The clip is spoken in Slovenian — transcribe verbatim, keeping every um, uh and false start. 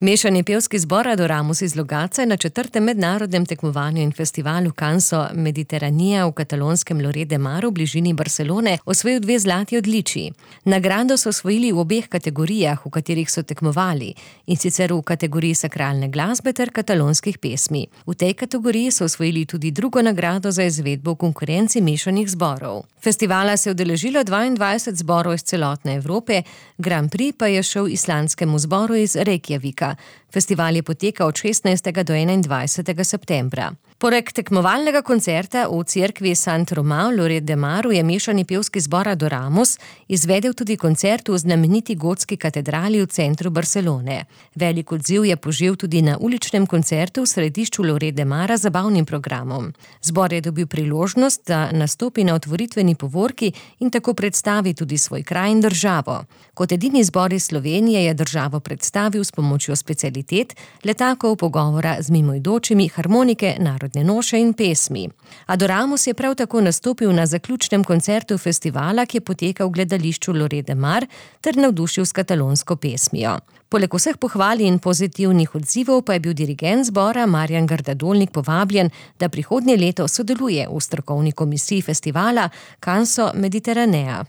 Mešani pevski zbor Adoramus iz Logatca je na četrtem mednarodnem tekmovanju in festivalu Canso Mediteranija v katalonskem Lloret de Mar v bližini Barcelone osvojil dve zlati odličji. Nagrado so osvojili v obeh kategorijah, v katerih so tekmovali, in sicer v kategoriji sakralne glasbe ter katalonskih pesmi. V tej kategoriji so osvojili tudi drugo nagrado za izvedbo v konkurenci mešanih zborov. Festivala se je udeležilo dvaindvajset zborov iz celotne Evrope, Grand Prix pa je šel islandskemu zboru iz Reykjavika. Festival je potekal od šestnajstega do enaindvajsetega septembra. Poleg tekmovalnega koncerta v cerkvi Sant Romà v Lloret de Maru je mešani pevski zbor Adoramus izvedel tudi koncert v znameniti gotski katedrali v centru Barcelone. Velik odziv je požel tudi na uličnem koncertu v središču Lloret de Mara z zabavnim programom. Zbor je dobil priložnost, da nastopi na otvoritveni povorki in tako predstavi tudi svoj kraj in državo. Kot edini zbor iz Slovenije je državo predstavil s pomočjo specialitet, letakov, pogovora z mimoidočimi, harmonike, narodne noše in pesmi. Adoramus je prav tako nastopil na zaključnem koncertu festivala, ki je potekal v gledališču Lloret de Mar ter navdušil s katalonsko pesmijo. Poleg vseh pohval in pozitivnih odzivov pa je bil dirigent zbora Marjan Grdadolnik povabljen, da prihodnje leto sodeluje v strokovni komisiji festivala Canso Mediteranea.